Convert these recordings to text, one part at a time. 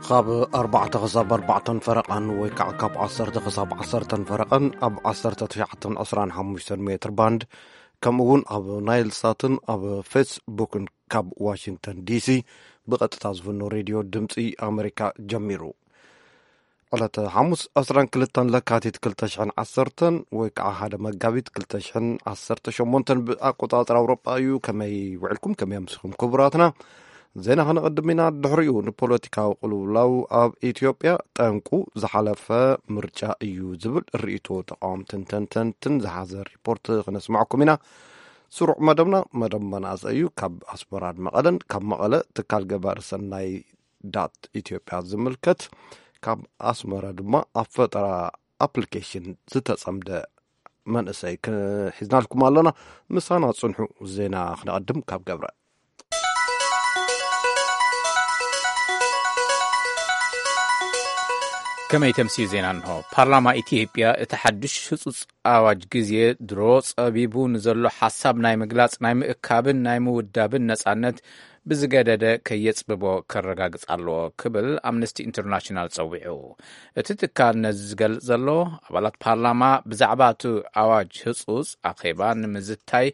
ካብ ኣርባዕተ ክሳብ ኣርባዕተን ፈረቓን ወይ ከዓ ካብ ዓሰርተ ክሳብ ዓሰርተን ፈረቓን ኣብ ዓሰርተ ትሽዓተን ዕስራን ሓሙሽተን ሜትር ባንድ፣ ከምኡ እውን ኣብ ናይል ሳትን ኣብ ፌስቡክን ካብ ዋሽንግተን ዲሲ ብቐጥታ ዝፍኖ ሬድዮ ድምፂ ኣሜሪካ ጀሚሩ። ዕለተ ሓሙስ ዕስራን ክልተን ለካቲት ክልተ ሽሕን ዓሰርተን ወይ ከዓ ሓደ መጋቢት ክልተ ሽሕን ዓሰርተ ሸሞንተን ብኣቆፃፅራ ኣውሮጳ እዩ። ከመይ ውዕልኩም? ከመይ ኣምሲኹም ክቡራትና? ዜና ከነቐድም ኢና። ድሕሪኡ ንፖለቲካዊ ቅልውላው ኣብ ኢትዮጵያ ጠንቁ ዝሓለፈ ምርጫ እዩ ዝብል ርእይቶ ተቃወምትን ተንተንትን ዝሓዘ ሪፖርት ክነስማዕኩም ኢና። ስሩዕ መደብና መደብ መናእሰይ እዩ። ካብ ኣስመራን መቐለን፣ ካብ መቐለ ትካል ገባሪ ሰናይ ዳት ኢትዮጵያ ዝምልከት፣ ካብ ኣስመራ ድማ ኣብ ፈጠራ ኣፕሊኬሽን ዝተጸምደ መንእሰይ ክሒዝናልኩም ኣለና። ምሳና ጽንሑ። ዜና ክነቐድም ካብ ገብረ። ከመይ ተምስዩ ዜና እንሆ። ፓርላማ ኢትዮጵያ እቲ ሓድሽ ህጹጽ ኣዋጅ ግዜ ድሮ ጸቢቡ ንዘሎ ሓሳብ ናይ ምግላጽ፣ ናይ ምእካብን ናይ ምውዳብን ነጻነት ብዝገደደ ከየጽብቦ ከረጋግጽ ኣለዎ ክብል ኣምነስቲ ኢንተርናሽናል ጸዊዑ። እቲ ትካል ነዚ ዝገልጽ ዘሎ፣ ኣባላት ፓርላማ ብዛዕባ እቲ ኣዋጅ ህጹጽ ኣኼባ ንምዝታይ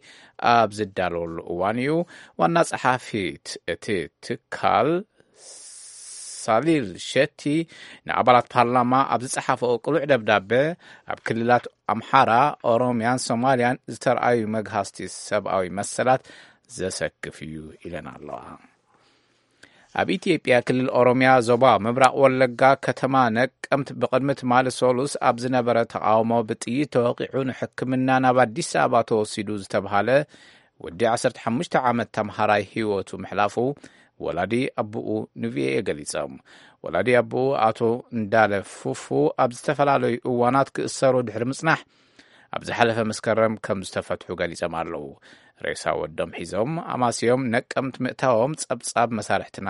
ኣብ ዝዳለወሉ እዋን እዩ። ዋና ጸሓፊት እቲ ትካል ሳሊል ሸቲ ንኣባላት ፓርላማ ኣብ ዝጸሓፈኦ ቅሉዕ ደብዳበ፣ ኣብ ክልላት ኣምሓራ፣ ኦሮምያን ሶማልያን ዝተርኣዩ መግሃስቲ ሰብኣዊ መሰላት ዘሰክፍ እዩ ኢለን ኣለዋ። ኣብ ኢትዮጵያ ክልል ኦሮምያ ዞባ ምብራቕ ወለጋ ከተማ ነቀምት ብቕድሚ ትማሊ ሰሉስ ኣብ ዝነበረ ተቓውሞ ብጥይት ተወቒዑ ንሕክምና ናብ ኣዲስ ኣበባ ተወሲዱ ዝተብሃለ ወዲ ዓሰርተ ሓሙሽተ ዓመት ተምሃራይ ህይወቱ ምሕላፉ ወላዲ ኣቦኡ ንቪኦኤ ገሊጾም። ወላዲ ኣቦኡ ኣቶ እንዳለ ፉፉ ኣብ ዝተፈላለዩ እዋናት ክእሰሩ ድሕሪ ምጽናሕ ኣብ ዝሓለፈ መስከረም ከም ዝተፈትሑ ገሊጾም ኣለዉ። ሬሳ ወዶም ሒዞም ኣማስዮም ነቀምት ምእታዎም ጸብጻብ መሳርሕትና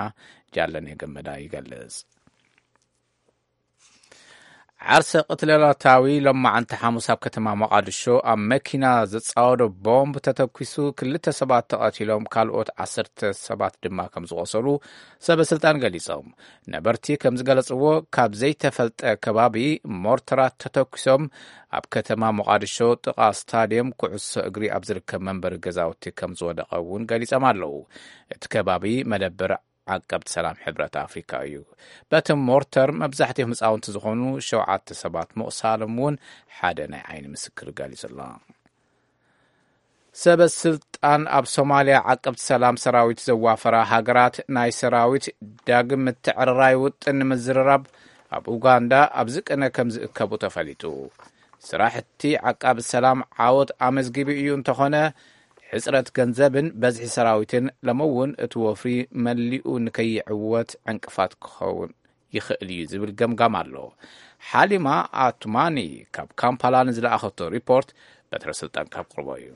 ጃለኔ ገመዳ ይገልጽ። ዓርሰ ቅትለታዊ ሎማዓንቲ ሓሙስ ኣብ ከተማ መቓድሾ ኣብ መኪና ዘጻወዶ ቦምብ ተተኲሱ ክልተ ሰባት ተቐቲሎም፣ ካልኦት ዓሰርተ ሰባት ድማ ከም ዝቖሰሉ ሰበ ስልጣን ገሊጾም። ነበርቲ ከም ዝገለጽዎ፣ ካብ ዘይተፈልጠ ከባቢ ሞርተራት ተተኲሶም ኣብ ከተማ መቓድሾ ጥቓ ስታድየም ኩዕሶ እግሪ ኣብ ዝርከብ መንበሪ ገዛውቲ ከም ዝወደቐ እውን ገሊጾም ኣለዉ። እቲ ከባቢ መደበር ዓቀብቲ ሰላም ሕብረት ኣፍሪካ እዩ። በቲ ሞርተር መብዛሕትኦም ህፃውንቲ ዝኾኑ ሸውዓተ ሰባት ምቑሳሎም እውን ሓደ ናይ ዓይኒ ምስክር ገሊጹ ኣሎ። ሰበ ስልጣን ኣብ ሶማልያ ዓቀብቲ ሰላም ሰራዊት ዘዋፈራ ሃገራት ናይ ሰራዊት ዳግም ምትዕርራይ ውጥን ንምዝርራብ ኣብ ኡጋንዳ ኣብዚ ቅነ ከም ዝእከቡ ተፈሊጡ። ስራሕቲ ዓቃቢ ሰላም ዓወት ኣመዝጊቡ እዩ፣ እንተኾነ ሕጽረት ገንዘብን በዝሒ ሰራዊትን ሎሚ እውን እቲ ወፍሪ መሊኡ ንከይዕወት ዕንቅፋት ክኸውን ይኽእል እዩ ዝብል ገምጋም ኣሎ። ሓሊማ ኣቱማኒ ካብ ካምፓላ ንዝለኣኸቶ ሪፖርት በትረ ስልጣን ካብ ቅርቦ እዩ።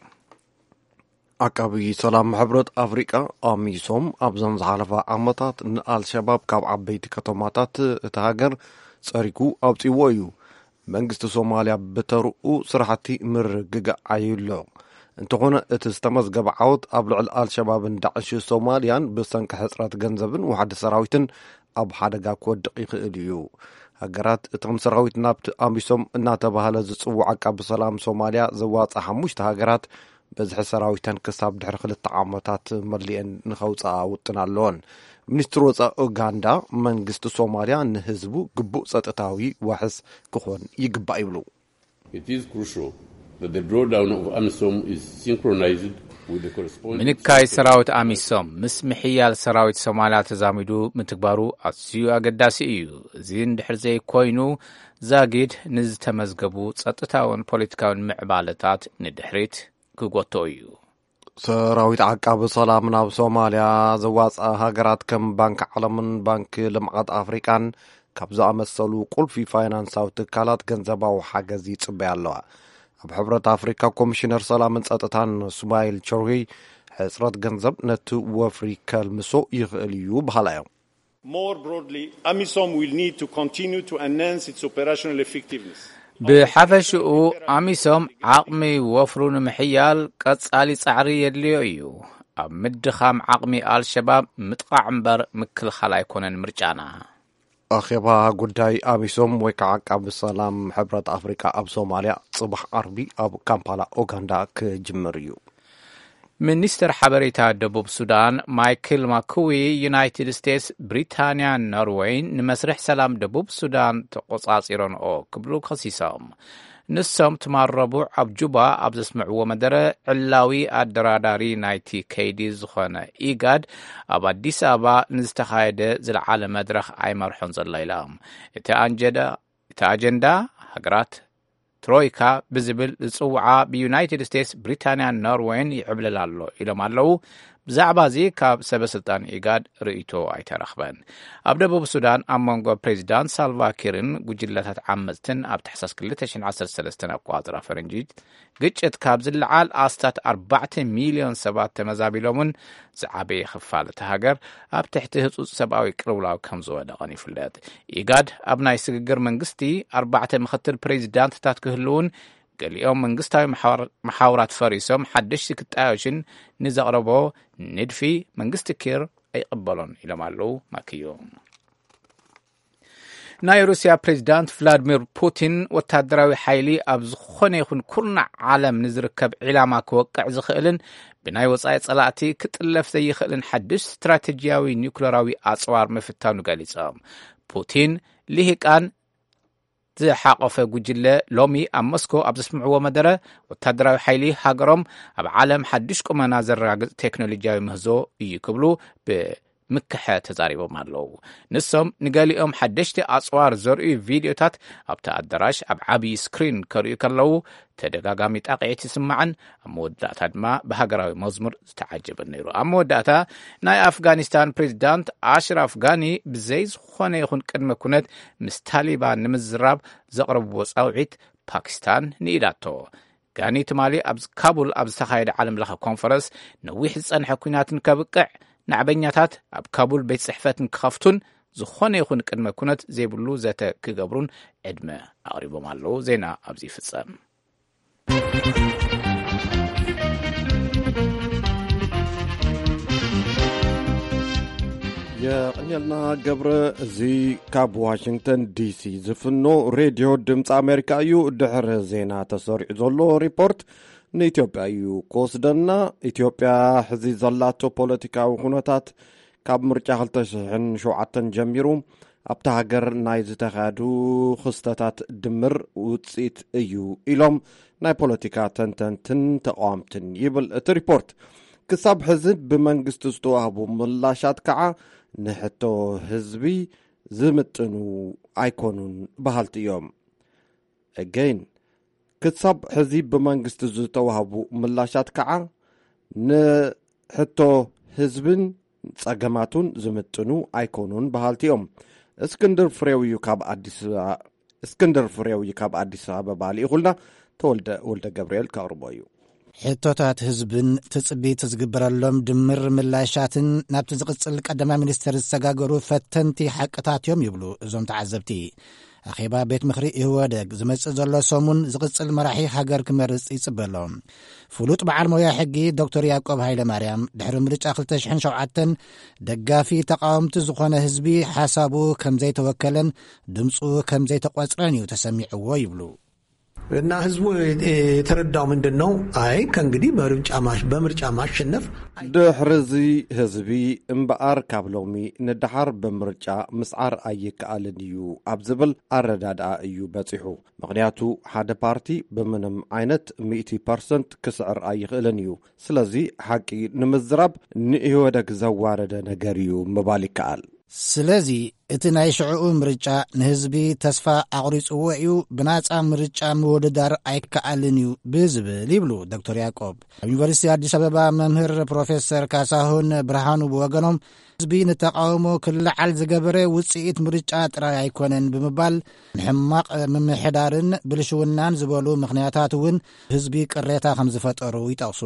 ዓቃቢ ሰላም ሕብረት ኣፍሪቃ ኣሚሶም ኣብዘን ዝሓለፋ ዓመታት ንኣልሸባብ ካብ ዓበይቲ ከተማታት እቲ ሃገር ጸሪጉ ኣውጺዎ እዩ። መንግስቲ ሶማልያ ብተርኡ ስራሕቲ ምርግጋእ ዓይሎ። እንተኾነ እቲ ዝተመዝገበ ዓወት ኣብ ልዕሊ ኣልሸባብን ዳዕሽ ሶማልያን ብሰንኪ ሕጽረት ገንዘብን ዋሕዲ ሰራዊትን ኣብ ሓደጋ ክወድቕ ይኽእል እዩ። ሃገራት እቶም ሰራዊት ናብቲ ኣሚሶም እናተባህለ ዝጽዋዕ ዓቃቢ ሰላም ሶማልያ ዘዋጽኣ ሓሙሽተ ሃገራት በዝሒ ሰራዊተን ክሳብ ድሕሪ ክልተ ዓመታት መሊኤን ንኸውፅኣ ውጥን ኣለወን። ሚኒስትር ወፃኢ ኡጋንዳ፣ መንግስቲ ሶማልያ ንህዝቡ ግቡእ ፀጥታዊ ዋሕስ ክኾን ይግባእ ይብሉ። It is crucial that the drawdown of amisom is synchronized with the corresponding ምንካይ ሰራዊት ኣሚሶም ምስ ምሕያል ሰራዊት ሶማልያ ተዛሚዱ ምትግባሩ ኣዝዩ ኣገዳሲ እዩ። እዚ እንድሕር ዘይኮይኑ፣ ዛጊድ ንዝተመዝገቡ ጸጥታውን ፖለቲካውን ምዕባለታት ንድሕሪት ክጎትኦ እዩ። ሰራዊት ዓቃቢ ሰላም ናብ ሶማልያ ዘዋፅኣ ሃገራት ከም ባንክ ዓለምን ባንክ ልምዓት ኣፍሪቃን ካብ ዝኣመሰሉ ቁልፊ ፋይናንሳዊ ትካላት ገንዘባዊ ሓገዝ ይፅበያ ኣለዋ። ኣብ ሕብረት ኣፍሪካ ኮሚሽነር ሰላምን ጸጥታን ሱማይል ቸርሂ፣ ሕፅረት ገንዘብ ነቲ ወፍሪ ከልምሶ ይኽእል እዩ በሃላ እዮም። More broadly, amisom will need to continue to enhance its operational effectiveness. ብሓፈሽኡ፣ ኣሚሶም ዓቕሚ ወፍሩ ንምሕያል ቀጻሊ ጻዕሪ የድልዮ እዩ። ኣብ ምድኻም ዓቕሚ ኣልሸባብ ምጥቓዕ እምበር ምክልኻል ኣይኮነን ምርጫና። ኣኼባ ጉዳይ ኣሚሶም ወይ ከዓ ዓቃቢ ሰላም ሕብረት ኣፍሪቃ ኣብ ሶማልያ ጽባሕ ዓርቢ ኣብ ካምፓላ ኡጋንዳ ክጅምር እዩ። ሚኒስትር ሓበሬታ ደቡብ ሱዳን ማይክል ማኩዊ፣ ዩናይትድ ስቴትስ፣ ብሪታንያን ኖርወይን ንመስርሕ ሰላም ደቡብ ሱዳን ተቆጻጺረንኦ ክብሉ ከሲሶም። ንሶም ትማል ረቡዕ ኣብ ጁባ ኣብ ዘስምዕዎ መደረ፣ ዕላዊ ኣደራዳሪ ናይቲ ከይዲ ዝኾነ ኢጋድ ኣብ ኣዲስ ኣበባ ንዝተኻየደ ዝለዓለ መድረኽ ኣይመርሖን ዘሎ ኢሎም። እቲ ኣንጀዳ እቲ ኣጀንዳ ሃገራት ትሮይካ ብዝብል ዝጽውዓ ብዩናይትድ ስቴትስ፣ ብሪታንያን ኖርወይን ይዕብለል ኣሎ ኢሎም ኣለዉ። ብዛዕባ እዚ ካብ ሰበ ስልጣን ኢጋድ ርእይቶ ኣይተረኽበን። ኣብ ደቡብ ሱዳን ኣብ መንጎ ፕሬዚዳንት ሳልቫኪርን ጉጅለታት ዓመፅትን ኣብ ታሕሳስ ክልተ ሽሕን ዓሰርተ ሰለስተን ኣቆፃፅራ ፈረንጂ ግጭት ካብ ዝለዓል ኣስታት ኣርባዕተ ሚልዮን ሰባት ተመዛቢሎምን ዝዓበየ ክፋል እቲ ሃገር ኣብ ትሕቲ ህጹጽ ሰብኣዊ ቅልውላው ከም ዝወደቐን ይፍለጥ። ኢጋድ ኣብ ናይ ስግግር መንግስቲ ኣርባዕተ ምኽትል ፕሬዚዳንትታት ክህልውን፣ ገሊኦም መንግስታዊ መሓውር-፣ መሓውራት ፈሪሶም ሓደሽቲ ክጣዮሽን ንዘቕረቦ ንድፊ መንግስቲ ኪር ኣይቕበሎን ኢሎም ኣለዉ ማክዮ። ናይ ሩስያ ፕሬዚዳንት ቭላድሚር ፑቲን፣ ወታደራዊ ሓይሊ ኣብ ዝኾነ ይኹን ኩርናዕ ዓለም ንዝርከብ ዒላማ ክወቅዕ ዝኽእልን ብናይ ወጻኢ ጸላእቲ ክጥለፍ ዘይኽእልን ሓድሽ ስትራቴጂያዊ ኒውክለራዊ ኣጽዋር ምፍታኑ ገሊጾም። ፑቲን፣ ልሂቃን ዝሓቆፈ ጉጅለ ሎሚ ኣብ ሞስኮ ኣብ ዘስምዕዎ መደረ፣ ወታደራዊ ሓይሊ ሃገሮም ኣብ ዓለም ሓድሽ ቁመና ዘረጋግጽ ቴክኖሎጂያዊ ምህዞ እዩ ክብሉ ብምክሐ ተዛሪቦም ኣለዉ። ንሶም ንገሊኦም ሓደሽቲ ኣጽዋር ዘርእዩ ቪድዮታት ኣብቲ ኣዳራሽ ኣብ ዓብዪ ስክሪን ከርእዩ ከለዉ፣ ተደጋጋሚ ጣቕዒት ይስማዕን ኣብ መወዳእታ ድማ ብሃገራዊ መዝሙር ዝተዓጀበን ነይሩ። ኣብ መወዳእታ ናይ ኣፍጋኒስታን ፕሬዚዳንት ኣሽራፍ ጋኒ ብዘይ ዝኾነ ይኹን ቅድመ ኩነት ምስ ታሊባን ንምዝራብ ዘቕረብዎ ጻውዒት ፓኪስታን ንኢዳቶ። ጋኒ ትማሊ ኣብ ካቡል ኣብ ዝተኻየደ ዓለም ለኸ ኮንፈረንስ፣ ነዊሕ ዝጸንሐ ኲናትን ከብቅዕ፣ ናዕበኛታት ኣብ ካቡል ቤት ጽሕፈት ንክኸፍቱን ዝኾነ ይኹን ቅድመ ኩነት ዘይብሉ ዘተ ክገብሩን ዕድመ ኣቕሪቦም ኣለዉ። ዜና ኣብዚ ይፍጸም። የቐንየልና ገብረ። እዚ ካብ ዋሽንግተን ዲሲ ዝፍኖ ሬድዮ ድምፂ ኣሜሪካ እዩ። ድሕሪ ዜና ተሰሪዑ ዘሎ ሪፖርት ንኢትዮጵያ እዩ ክወስደና። ኢትዮጵያ ሕዚ ዘላቶ ፖለቲካዊ ኩነታት ካብ ምርጫ ክልተ ሽሕን ሸውዓተን ጀሚሩ ኣብታ ሃገር ናይ ዝተኻየዱ ክስተታት ድምር ውፅኢት እዩ ኢሎም ናይ ፖለቲካ ተንተንትን ተቃወምትን ይብል እቲ ሪፖርት። ክሳብ ሕዚ ብመንግስቲ ዝተዋህቡ ምላሻት ከዓ ንሕቶ ህዝቢ ዝምጥኑ ኣይኮኑን በሃልቲ እዮም። Again፣ ክሳብ ሕዚ ብመንግስቲ ዝተዋህቡ ምላሻት ከዓ ንሕቶ ህዝብን ጸገማቱን ዝምጥኑ ኣይኮኑን በሃልቲ እዮም። እስክንድር ፍሬው እዩ ካብ ኣዲስ እስክንድር ፍሬው እዩ ካብ ኣዲስ ኣበባ ልኢኹልና። ተወልደ ወልደ ገብርኤል ከቕርቦ እዩ። ሕቶታት ህዝብን ትጽቢት ዝግበረሎም ድምር ምላሻትን ናብቲ ዝቕጽል ቀዳማይ ሚኒስትር ዝሰጋገሩ ፈተንቲ ሓቅታት እዮም ይብሉ እዞም ተዓዘብቲ። ኣኼባ ቤት ምኽሪ ኢህወደግ ዝመጽእ ዘሎ ሰሙን ዝቕጽል መራሒ ሃገር ክመርጽ ይጽበ ኣሎ። ፍሉጥ በዓል ሞያ ሕጊ ዶክተር ያዕቆብ ሃይለ ማርያም፣ ድሕሪ ምርጫ ክልተ ሽሕን ሸውዓተን ደጋፊ ተቃወምቲ ዝኾነ ህዝቢ ሓሳቡ ከም ዘይተወከለን ድምፁ ከም ዘይተቆጽረን እዩ ተሰሚዕዎ ይብሉ። እና ህዝቡ የተረዳው ምንድን ነው? አይ ከእንግዲህ በምርጫ ማሽ-፣ በምርጫ ማሸነፍ ድሕርዚ ህዝቢ እምበኣር ካብ ሎሚ ንደሓር ብምርጫ ምስዓር ኣይከኣልን እዩ ኣብ ዝብል ኣረዳድኣ እዩ በጺሑ። ምኽንያቱ ሓደ ፓርቲ ብምንም ዓይነት ሚእቲ ፐርሰንት ክስዕር ኣይኽእልን እዩ። ስለዚ ሓቂ ንምዝራብ ንኢህወደግ ዘዋረደ ነገር እዩ ምባል ይከኣል። ስለዚ እቲ ናይ ሽዕኡ ምርጫ ንህዝቢ ተስፋ ኣቑሪጽዎ እዩ። ብናጻ ምርጫ ምውድዳር ኣይከኣልን እዩ ብዝብል ይብሉ ዶክተር ያዕቆብ። ኣብ ዩኒቨርሲቲ ኣዲስ ኣበባ መምህር ፕሮፌሰር ካሳሁን ብርሃኑ ብወገኖም፣ ህዝቢ ንተቃውሞ ክለዓል ዝገበረ ውጽኢት ምርጫ ጥራይ ኣይኮነን ብምባል፣ ንሕማቕ ምምሕዳርን ብልሽውናን ዝበሉ ምኽንያታት እውን ህዝቢ ቅሬታ ከም ዝፈጠሩ ይጠቕሱ።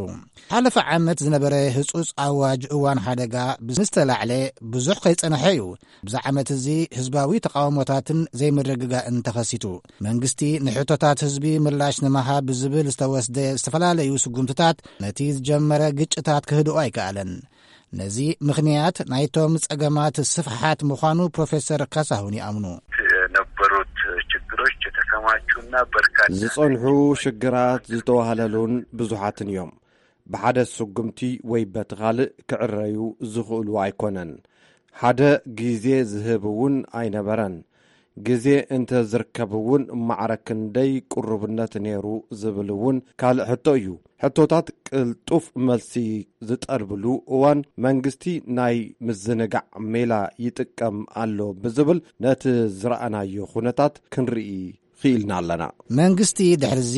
ሓለፈ ዓመት ዝነበረ ህጹጽ ኣዋጅ እዋን ሓደጋ ምስ ተላዕለ ብዙሕ ከይጸንሐ እዩ። ኣብዚ ዓመት እዚ ህዝባዊ ተቃውሞታትን ዘይምርግጋእን ተኸሲቱ። መንግስቲ ንሕቶታት ህዝቢ ምላሽ ንምሃብ ብዝብል ዝተወስደ ዝተፈላለዩ ስጉምትታት ነቲ ዝጀመረ ግጭታት ክህድኦ ኣይከኣለን። ነዚ ምኽንያት ናይቶም ጸገማት ስፍሓት ምዃኑ ፕሮፌሰር ካሳሁን ይኣምኑ። የነበሩት ችግሮች የተከማቹና በርካታ ዝጸንሑ ሽግራት ዝተዋህለሉን ብዙሓትን እዮም። ብሓደ ስጉምቲ ወይ በቲ ካልእ ክዕረዩ ዝኽእሉ ኣይኮነን። ሓደ ግዜ ዝህብ እውን ኣይነበረን። ግዜ እንተ ዝርከብ እውን ማዕረ ክንደይ ቅሩብነት ነይሩ ዝብል እውን ካልእ ሕቶ እዩ። ሕቶታት ቅልጡፍ መልሲ ዝጠልብሉ እዋን መንግስቲ ናይ ምዝንጋዕ ሜላ ይጥቀም ኣሎ ብዝብል ነቲ ዝረኣናዮ ኩነታት ክንርኢ ክኢልና ኣለና። መንግስቲ ድሕርዚ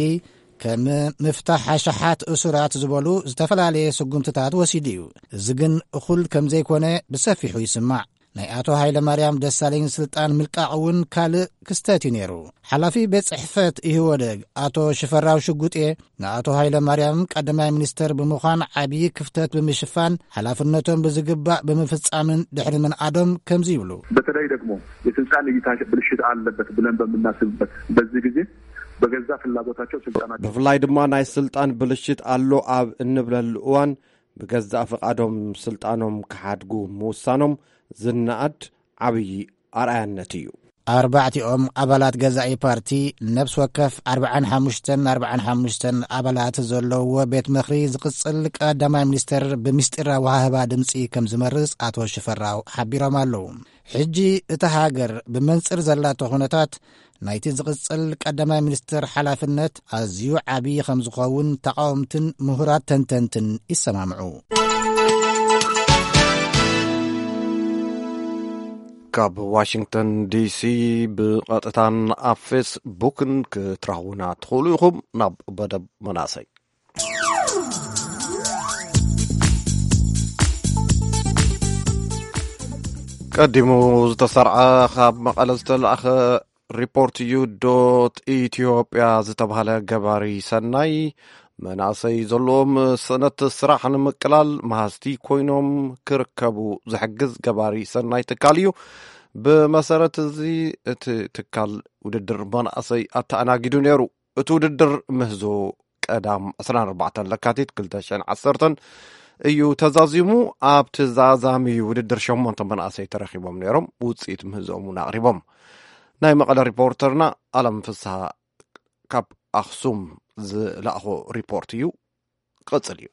ከም ምፍታሕ ኣሽሓት እሱራት ዝበሉ ዝተፈላለየ ስጉምትታት ወሲዱ እዩ። እዚ ግን እኹል ከም ዘይኮነ ብሰፊሑ ይስማዕ። ናይ ኣቶ ሃይለ ማርያም ደሳለኝ ስልጣን ምልቃቕ እውን ካልእ ክስተት እዩ ነይሩ። ሓላፊ ቤት ጽሕፈት ኢህወደግ ኣቶ ሽፈራው ሽጉጤ ንኣቶ ሃይለ ማርያም ቀዳማይ ሚኒስተር ብምዃን ዓብዪ ክፍተት ብምሽፋን ሓላፍነቶም ብዝግባእ ብምፍጻምን ድሕሪ ምንኣዶም ከምዚ ይብሉ። በተለይ ደግሞ የስልጣን እይታ ብልሽት አለበት ብለን በምናስብበት በዚህ ጊዜ በገዛ ፍላጎታቸው ስልጣናቸው ብፍላይ ድማ ናይ ስልጣን ብልሽት ኣሎ ኣብ እንብለሉ እዋን ብገዛእ ፍቓዶም ስልጣኖም ክሓድጉ ምውሳኖም ዝነኣድ ዓብዪ ኣርኣያነት እዩ። ኣርባዕቲኦም ኣባላት ገዛኢ ፓርቲ፣ ነፍሲ ወከፍ ኣርባዓን ሓሙሽተን ኣርባዓን ሓሙሽተን ኣባላት ዘለውዎ ቤት ምኽሪ ዝቕጽል ቀዳማይ ሚኒስተር ብምስጢራዊ ሃህባ ድምጺ ከም ዝመርጽ ኣቶ ሽፈራው ሓቢሮም ኣለዉ። ሕጂ እታ ሃገር ብመንጽር ዘላቶ ኩነታት ናይቲ ዝቕጽል ቀዳማይ ሚኒስተር ሓላፍነት ኣዝዩ ዓብዪ ከም ዝኸውን ተቓወምትን ምሁራት ተንተንትን ይሰማምዑ። ካብ ዋሽንግተን ዲሲ ብቐጥታን ኣብ ፌስቡክን ክትረኽቡና ትኽእሉ ኢኹም። ናብ መደብ መናእሰይ። ቀዲሙ ዝተሰርዐ ካብ መቐለ ዝተላእኸ ሪፖርት እዩ። ዶት ኢትዮጵያ ዝተባህለ ገባሪ ሰናይ መናእሰይ ዘለዎም ስእነት ስራሕ ንምቅላል መሃዝቲ ኮይኖም ክርከቡ ዝሕግዝ ገባሪ ሰናይ ትካል እዩ። ብመሰረት እዚ እቲ ትካል ውድድር መናእሰይ ኣተኣናጊዱ ነይሩ። እቲ ውድድር ምህዞ ቀዳም ዕስራን ኣርባዕተን ለካቲት ክልተ ሽሕን ዓሰርተን እዩ ተዛዚሙ። ኣብቲ ዛዛሚ ውድድር ሸሞንተ መናእሰይ ተረኺቦም ነይሮም። ውፅኢት ምህዞኦም እውን ኣቕሪቦም። ናይ መቐለ ሪፖርተርና ኣለም ፍስሃ ካብ ኣኽሱም ዝለኣኾ ሪፖርት እዩ። ክቕጽል እዩ።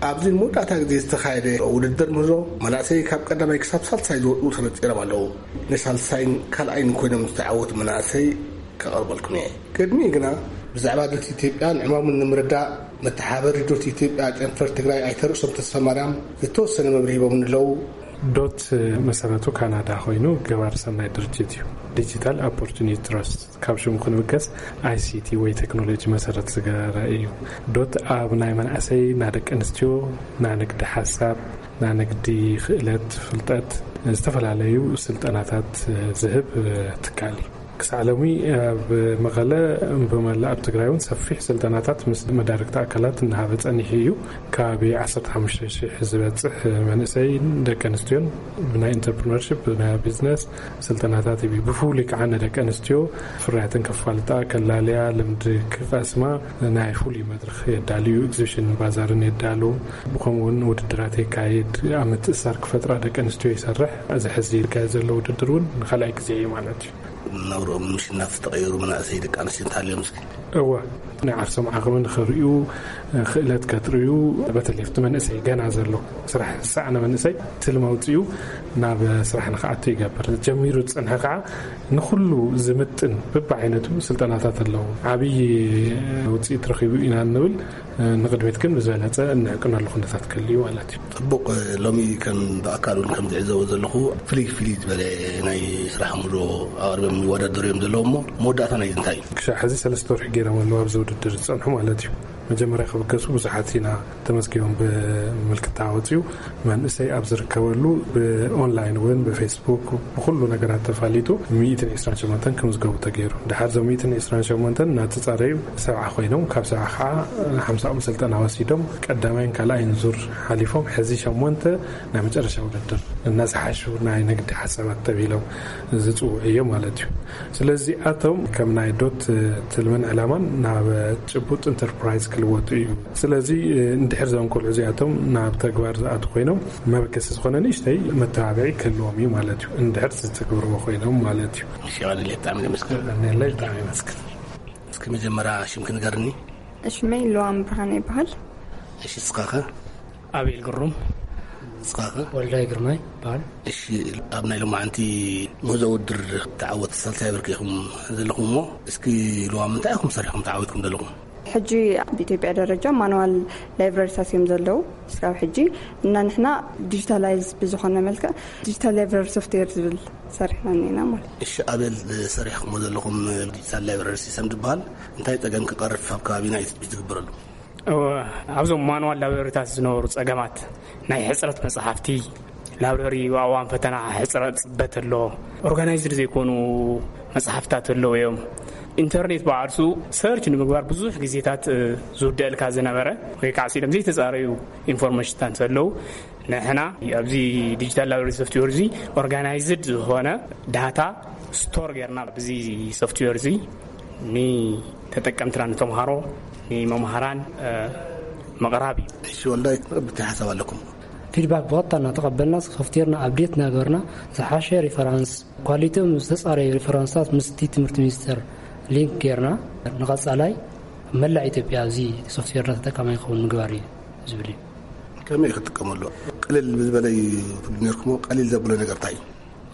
ኣብዚ ንመወዳእታ ግዜ ዝተኻየደ ውድድር ምህዞ መናእሰይ ካብ ቀዳማይ ክሳብ ሳልሳይ ዝወጡ ተነጺሮም ኣለዉ። ንሳልሳይን ካልኣይን ኮይኖም ዝተዓወቱ መናእሰይ ከቐርበልኩም እየ። ቅድሚኡ ግና ብዛዕባ ዶት ኢትዮጵያን ዕማሙን ንምርዳእ መተሓበሪ ዶት ኢትዮጵያ ጨንፈር ትግራይ ኣይተ ርእሶም ተስፋማርያም ዝተወሰነ መብርሂ ሂቦምኒ ኣለዉ። ዶት መሰረቱ ካናዳ ኮይኑ ገባር ሰናይ ድርጅት እዩ። ዲጂታል ኦፖርቹኒቲ ትረስት ካብ ሽሙ ክንብገስ ኣይሲቲ ወይ ቴክኖሎጂ መሰረት ዝገበረ እዩ። ዶት ኣብ ናይ መናእሰይ፣ ናይ ደቂ ኣንስትዮ፣ ናይ ንግዲ ሓሳብ፣ ናይ ንግዲ ክእለት፣ ፍልጠት፣ ዝተፈላለዩ ስልጠናታት ዝህብ ትካል እዩ። ክሳዕ ሎሚ ኣብ መቐለ ብመላእ ኣብ ትግራይ እውን ሰፊሕ ስልጠናታት ምስ መዳርግቲ ኣካላት እናሃበ ጸኒሑ እዩ። ከባቢ ዓሰርተ ሓሙሽተ ሽሕ ዝበጽሕ መንእሰይን ደቂ ኣንስትዮን ብናይ ኢንተርፕርነርሺፕ፣ ብናይ ቢዝነስ ስልጠናታት ይህብ። ብፍሉይ ከዓ ንደቂ ኣንስትዮ ፍርያተን ከፋልጣ፣ ከላልያ፣ ልምዲ ክቐስማ ናይ ፍሉይ መድረኽ የዳልዩ፣ ኤግዚቢሽን ባዛርን የዳሉ። ብኸምኡ እውን ውድድራት የካይድ፣ ኣብ ምትእሳር ክፈጥራ ደቂ ኣንስትዮ ይሰርሕ። እዚ ሕዚ ዝካየድ ዘሎ ውድድር እውን ንኻልኣይ ግዜ እዩ ማለት እዩ። ናብርኦም ምሽናፍ ዝተቐየሩ መናእሰይ ደቂ ኣንስትዮ እንተሃልዮም እስኪ? እወ፣ ናይ ዓርሶም ዓቕሚ ንኽርእዩ፣ ክእለት ከጥርዩ፣ በተለይ ኣብቲ መንእሰይ ገና ዘሎ ስራሕ ዝሰኣነ መንእሰይ ትልሚ ኣውፂኡ ናብ ስራሕ ንኽኣቱ ይገብር። ጀሚሩ ዝፀንሐ ከዓ ንኹሉ ዝምጥን በብዓይነቱ ስልጠናታት ኣለዉ። ዓብዪ ውፅኢት ረኺቡ ኢና እንብል፣ ንቕድሚት ግን ብዝበለፀ እንዕቅነሉ ኩነታት ክህሉ እዩ ማለት እዩ። ጽቡቕ፣ ሎሚ ከም ብኣካል እውን ከም ዝዕዘቦ ዘለኹ ፍልይ ፍልይ ዝበለ ናይ ስራሕ ምሮ ኣቕሪቦም ይወዳደሩ እዮም ዘለዉ እሞ መወዳእታ ናይዚ እንታይ እዩ? ክሻዕ ሕዚ ሰለስተ ወርሒ ገይሮም ኣለዉ ኣብዚ ውድድር ዝጸንሑ ማለት እዩ። መጀመርያ ክብገሱ ብዙሓት ኢና ተመዝጊቦም ብምልክታ ወጺኡ መንእሰይ ኣብ ዝርከበሉ ብኦንላይን እውን ብፌስቡክ ብኩሉ ነገራት ተፋሊጡ ሚእትን ዕስራን ሸሞንተን ክምዝገቡ ተገይሩ። ድሓር እዞም ሚእትን ዕስራን ሸሞንተን እናተጻረዩ ሰብዓ ኮይኖም ካብ ሰብዓ ከዓ ሓምሳኦም ስልጠና ወሲዶም ቀዳማይን ካልኣይን ዙር ሓሊፎም ሕዚ ሸሞንተ ናይ መጨረሻ ውድድር እና ዝሓሹ ናይ ንግዲ ሓሳባት ተቢሎም ዝፅውዑ እዮም ማለት እዩ። ስለዚ ኣቶም ከም ናይ ዶት ትልምን ዕላማን ናብ ጭቡጥ ኢንተርፕራይዝ ክልወጡ እዩ። ስለዚ እንድሕር እዞም ቆልዑ እዚኣቶም ናብ ተግባር ዝኣቱ ኮይኖም፣ መበገሲ ዝኾነ ንእሽተይ መተባብዒ ክህልዎም እዩ ማለት እዩ፣ እንድሕር ዝትግብርዎ ኮይኖም ማለት እዩ። እሺ፣ ቀንለ ብጣዕሚ ነመስግን። ነላይ ብጣዕሚ ይመስግን። እስኪ መጀመርያ ሽምኪ ንገርኒ። ሽመይ ለዋም ብርሃን ይበሃል። እሺ፣ እስኻኸ? ኣቤል ግሩም። እስኻኸ? ወልዳይ ግርማይ ይበሃል። እሺ፣ ኣብ ናይ ሎማዓንቲ ምህዞ ውድድር ተዓወት ሳልሳይ ብርኪ ኢኹም ዘለኹም እሞ፣ እስኪ ለዋም እንታይ ኢኹም ሰሪሕኩም ተዓዊትኩም ዘለኹም? ሕጂ ኣብ ኢትዮጵያ ደረጃ ማኑዋል ላይብረሪታት እዮም ዘለዉ። እስካብ ሕጂ እና ንሕና ዲጂታላይዝ ብዝኾነ መልክዕ ዲጂታል ላይብረሪ ሶፍትዌር ዝብል ሰሪሕና እኒና ማለት እዩ። እሺ፣ ኣቤል፣ ሰሪሕኩሞ ዘለኹም ዲጂታል ላይብረሪ ሲስተም ዝበሃል እንታይ ጸገም ክቐርፍ ኣብ ከባቢና እዩ ትፅቢት ዝግበረሉ? ኣብዞም ማኑዋል ላይብረሪታት ዝነበሩ ጸገማት ናይ ሕፅረት መጽሓፍቲ፣ ላይብረሪ ኣብ እዋን ፈተና ሕፅረት ጽበት ኣሎ፣ ኦርጋናይዝድ ዘይኮኑ መጽሓፍታት ኣለዉ እዮም። ኢንተርኔት በዓልሱ ሰርች ንምግባር ብዙሕ ግዜታት ዝውደእልካ ዝነበረ ወይ ከዓ ሲሎም ዘይተፃረዩ ኢንፎርሜሽንታት ኣለዉ። ንሕና ኣብዚ ዲጂታል ላይብረሪ ሶፍትዌር እዚ ኦርጋናይዝድ ዝኾነ ዳታ ስቶር ጌርና ብዚ ሶፍትዌር እዚ ንተጠቀምትና ንተምሃሮ ንመምሃራን ምቕራብ እዩ። እሺ፣ ወልዳይ ብታይ ሓሳብ ኣለኩም? ፊድባክ ብቐጥታ እናተቐበልና ሶፍትዌርና ኣብዴት እናገበርና ዝሓሸ ሪፈራንስ ኳሊቲኦም ዝተፃረዩ ሪፈራንስታት ምስቲ ትምህርቲ ሚኒስቴር ሊንክ ጌርና ንቐፃላይ መላእ ኢትዮጵያ ኣብዚ ሶፍትዌርና ተጠቃማይ ክኸውን ምግባር እዩ ዝብል እዩ። ከመይ ክትጥቀመሉ ቅልል ብዝበለ እዩ ትብሉ ነርኩሞ? ቀሊል ዘብሎ ነገር እንታይ እዩ?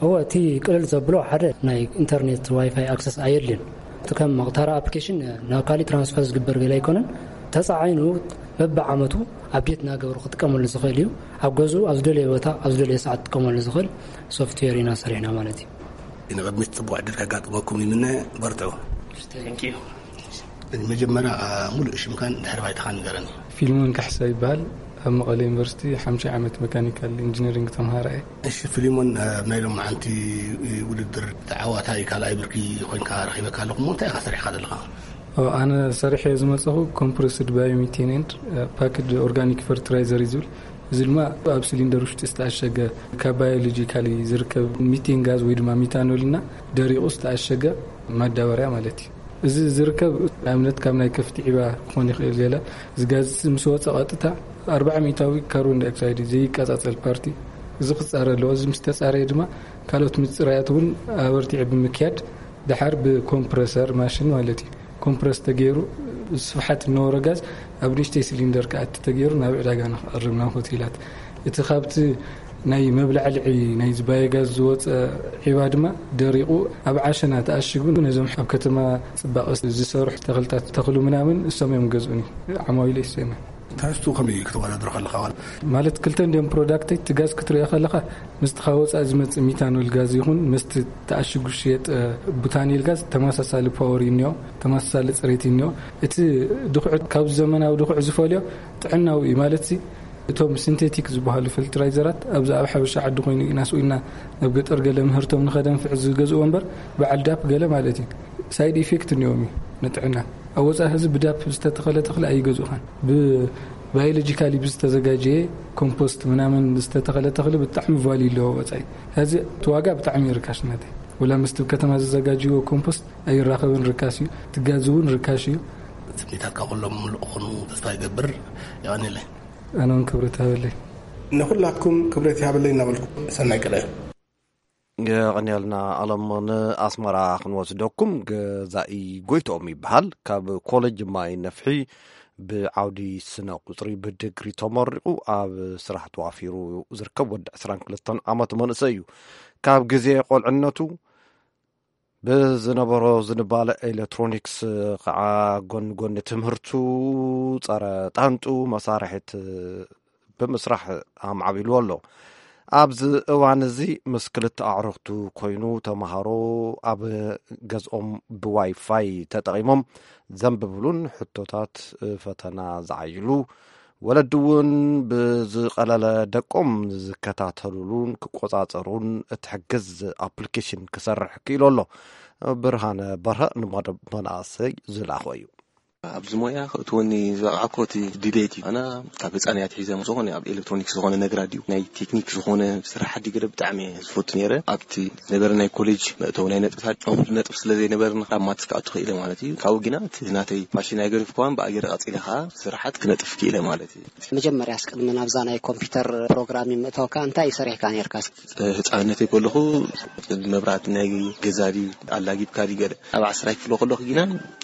እወ፣ እቲ ቅልል ዘብሎ ሓደ ናይ ኢንተርኔት ዋይፋይ ኣክሰስ ኣየድልን። እቲ ከም መቕታሪ ኣፕሊኬሽን ናብ ካሊእ ትራንስፈር ዝግበር ገለ ኣይኮነን። ተፃዓይኑ በብዓመቱ ኣብዴት እናገበሩ ክጥቀመሉ ዝኽእል እዩ። ኣብ ገዝኡ ኣብ ዝደለየ ቦታ ኣብ ዝደለየ ሰዓት ክጥቀመሉ ዝኽእል ሶፍትዌር ኢና ሰሪሕና ማለት እዩ። ንቕድሚት ፅቡቅ ዕድል ከጋጥመኩም ይምነ። በርትዑ። Thank you። መጀመርያ ሙሉእ ሽምካን ድሕሪ ባይታኻን ንገረኒ። ፊልሞን ካሕሳ ይበሃል። ኣብ መቐለ ዩኒቨርሲቲ ሓምሻይ ዓመት መካኒካል ኢንጂነሪንግ ተምሃራይ። እሺ ፊሊሞን፣ ኣብ ናይ ሎማዓንቲ ውድድር ተዓዋታይ ካልኣይ ብርኪ ኮይንካ ረኺበካ ኣለኹ እሞ እንታይ ኢኻ ሰሪሕካ ዘለኻ? ኣነ ሰሪሐ ዝመፀኹ ኮምፕረስድ ባዮሚቴን ኤንድ ፓክድ ኦርጋኒክ ፈርትራይዘር እዩ ዝብል። እዚ ድማ ኣብ ሲሊንደር ውሽጢ ዝተኣሸገ ካብ ባዮሎጂካሊ ዝርከብ ሚቴን ጋዝ ወይ ድማ ሚታኖል እና ደሪቑ ዝተኣሸገ ማዳበርያ ማለት እዩ። እዚ ዝርከብ ኣብነት ካብ ናይ ከፍቲ ዒባ ክኾን ይኽእል ገለ። እዚ ጋዝ ምስ ወፀ ቀጥታ ኣርባዓ ሚእታዊ ካርቦን ዳይኦክሳይድ እዩ ዘይቃፃፀል ፓርቲ። እዚ ክፃረ ኣለዎ። እዚ ምስ ተፃረየ ድማ ካልኦት ምፅራያት እውን ኣበርቲዐ ብምክያድ ድሓር ብኮምፕረሰር ማሽን ማለት እዩ ኮምፕረስ ተገይሩ ስፍሓት እነበሮ ጋዝ ኣብ ንእሽተይ ሲሊንደር ክኣቲ ተገይሩ ናብ ዕዳጋ ንክቐርብ ናብ ሆቴላት። እቲ ካብቲ ናይ መብላዕልዒ ናይ ባዮጋዝ ዝወፀ ዒባ ድማ ደሪቑ ኣብ ዓሸና ተኣሽጉ ነዞም ኣብ ከተማ ፅባቐ ዝሰርሑ ተኽልታት ተኽሉ ምናምን እሶም እዮም ገዝኡኒ። ዓማዊለ ይሰመ ትሕዝቱ ከመይ እዩ ክትወዳድሮ ከለኻ? ማለት ክልተ እንዲኦም ፕሮዳክተይ እቲ ጋዝ ክትሪኦ ከለኻ ምስቲ ካብ ወፃኢ ዝመፅእ ሚታኖል ጋዝ ይኹን ምስቲ ተኣሽጉ ዝሽየጥ ቡታኒል ጋዝ ተመሳሳሊ ፓወር እዩ እኒኦ፣ ተመሳሳሊ ፅሬት እዩ እኒኦ። እቲ ድኹዕ ካብዚ ዘመናዊ ድኹዕ ዝፈልዮ ጥዕናዊ እዩ ማለት ሲ እቶም ሲንቴቲክ ዝበሃሉ ፈርትራይዘራት ኣብዚ ኣብ ሓበሻ ዓዲ ኮይኑ ኢና ስኢልና ናብ ገጠር ገለ ምህርቶም ንኸደንፍዕ ዝገዝእዎ እምበር በዓል ዳፕ ገለ ማለት እዩ ሳይድ ኢፌክት እኒኦም እዩ ንጥዕና። ኣብ ወፃኢ ህዝቢ ብዳፕ ዝተተኸለ ተኽሊ ኣይገዝኡኻን። ብባዮሎጂካሊ ብዝተዘጋጀየ ኮምፖስት ምናምን ዝተተኸለ ተኽሊ ብጣዕሚ ቫልዩ ኣለዎ ወፃኢ። ሕዚ እቲ ዋጋ ብጣዕሚ እዩ ርካሽ ናተይ። ወላ ምስቲ ከተማ ዝዘጋጅዎ ኮምፖስት ኣይራኸብን፣ ርካሽ እዩ። እቲ ጋዝ እውን ርካሽ እዩ። ትምኒታትካ ኩሎም ምሉእ ክኾኑ ተስፋ ይገብር። የቐንየለይ። ኣነ እውን ክብረት ሃበለይ። ንኹላትኩም ክብረት ይሃበለይ እናበልኩ ሰናይ ቀዳዩ። የቐንየልና ኣለም። ንኣስመራ ክንወስደኩም። ገዛኢ ጎይትኦም ይበሃል። ካብ ኮሌጅ ማይ ነፍሒ ብዓውዲ ስነ ቁፅሪ ብድግሪ ተመሪቑ ኣብ ስራሕ ተዋፊሩ ዝርከብ ወዲ ዕስራን ክልተን ዓመት መንእሰይ እዩ። ካብ ግዜ ቆልዕነቱ ብዝነበሮ ዝንባለ ኤሌክትሮኒክስ ከዓ ጎኒ ጎኒ ትምህርቱ ጸረ ጣንጡ መሳርሒት ብምስራሕ ኣማዕቢልዎ ኣሎ። ኣብዚ እዋን እዚ ምስ ክልተ ኣዕሩኽቱ ኮይኑ ተምሃሮ ኣብ ገዝኦም ብዋይፋይ ተጠቒሞም ዘንብብሉን ሕቶታት ፈተና ዝዓይሉ ወለዲ እውን ብዝቐለለ ደቆም ዝከታተሉሉን ክቆጻጸሩን እትሕግዝ ኣፕሊኬሽን ክሰርሕ ክኢሉ ኣሎ። ብርሃነ በርሀ ንመደብ መናእሰይ ዝላኾ እዩ። ኣብዚ ሞያ ክእትወኒ ዝበቕዓኮ እቲ ድሌት እዩ። ኣና ካብ ህፃን እያ ትሒዘ ዝኾነ ኣብ ኤሌክትሮኒክስ ዝኾነ ነገር ኣድዩ ናይ ቴክኒክ ዝኾነ ስራሕ ኣዲ ገለ ብጣዕሚ እየ ዝፈቱ ነይረ። ኣብቲ ነበረ ናይ ኮሌጅ መእተዊ ናይ ነጥብታት እኹል ነጥብ ስለ ዘይነበርና ካብ ማትስ ክኣቱ ክኢለ ማለት እዩ። ካብኡ ግና እቲ ናተይ ፓሽን ኣይገደፍኩዋን ብኣየር ቀፂለ ከዓ ስራሓት ክነጥፍ ክኢለ ማለት እዩ። መጀመርያ ኣስቀድሚ ናብዛ ናይ ኮምፒውተር ፕሮግራሚንግ ምእታውካ እንታይ ሰሪሕካ ነርካ? ህፃንነተይ ከለኹ መብራት ናይ ገዛ ድዩ ኣላጊብካ ድዩ ገለ ኣብ ዓስራይ ክፍሎ ከለኹ ግና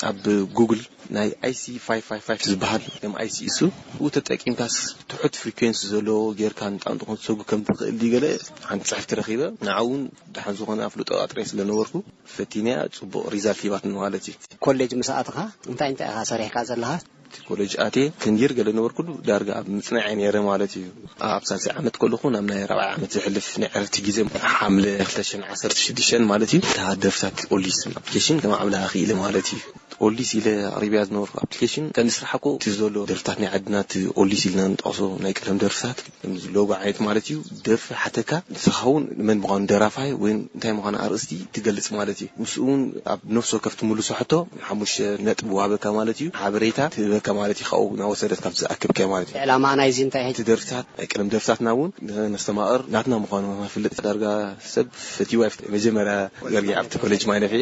ኣብ ጉግል ናይ ኣይሲ ፋይቭ ፋይቭ ፋይቭ ዝበሃል ከም ኣይሲ እሱ ብኡ ተጠቂምካስ ትሑት ፍሪኩንሲ ዘለዎ ጌርካ ንጣንጡ ክትሰጉ ከም ትኽእል ድዩ ገለ ሓንቲ ፅሕፍቲ ረኺበ ንዓ እውን ደሓን ዝኾነ ኣፍልጦ ኣጥረይ ስለ ነበርኩ ፈቲንያ ፅቡቕ ሪዛልት ሂባትኒ ማለት እዩ። ኮሌጅ ምስ ኣትኻ እንታይ እንታይ ኢኻ ሰሪሕካ ዘለኻ? እቲ ኮሌጅ ኣትየ ክንዲር ገለ ነበርኩሉ ዳርጋ ኣብ ምፅናዕ እየ ነይረ ማለት እዩ። ኣብ ሳልሳይ ዓመት ከለኹ ናብ ናይ ራብዓይ ዓመት ዘሕልፍ ናይ ዕረፍቲ ግዜ ሓምለ ክልተ ሽሕን ዓሰርተ ሽዱሽተን ማለት እዩ። እታ ደርፍታት ኦሊስ ኣፕሊኬሽን ከማዕብላ ክኢለ ማለት እዩ። ኦሊስ ኢለ ኣቕሪብያ ዝነበርኩ ኣፕሊኬሽን ቀንዲ ስራሕ እኮ እቲ ዘሎ ደርፍታት ናይ ዓድና እቲ ኦሊስ ኢልና ንጠቕሶ ናይ ቀደም ደርፍታት ከምዚ ሎጎ ዓይነት ማለት እዩ። ደርፊ ሓተካ ንስኻ እውን መን ምዃኑ ደራፋይ ወይ እንታይ ምዃኑ ኣርእስቲ ትገልጽ ማለት እዩ። ምስኡ እውን ኣብ ነፍሲ ወከፍ ትምልሶ ሕቶ ሓሙሽተ ነጥቢ ወሃበካ ማለት እዩ። ሓበሬታ ትህበካ ማለት እዩ። ካብኡ እናወሰደት ካብ ዝኣከብካዮ ማለት እዩ። ዕላማ ናይዚ እንታይ እዩ? እቲ ደርፍታት ናይ ቀደም ደርፍታትና እውን ነስተማቕር ናትና ምዃኑ ንፍልጥ ዳርጋ ሰብ ፈትዋ መጀመርያ ገርጊ ኣብቲ ኮሌጅ ማይ ነፊ